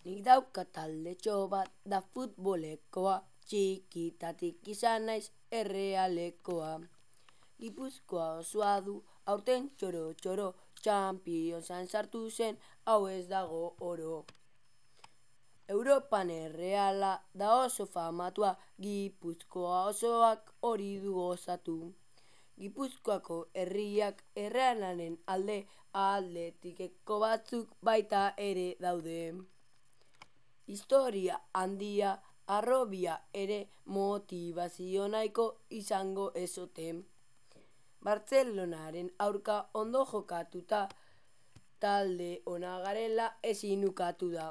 Nik dauka taldetxo bat da futbolekoa, txikitatik izan naiz errealekoa. Gipuzkoa osoa du aurten txoro-txoro, Championsan sartu zen hau ez dago oro. Europan erreala da oso famatua, Gipuzkoa osoak hori du gozatu. Gipuzkoako herriak errealaren alde, Atletikeko batzuk baita ere daude. Historia handia, harrobia ere motivazio nahiko izango ezote. Bartzelonaren aurka ondo jokatuta, talde ona garela ezin ukatu da.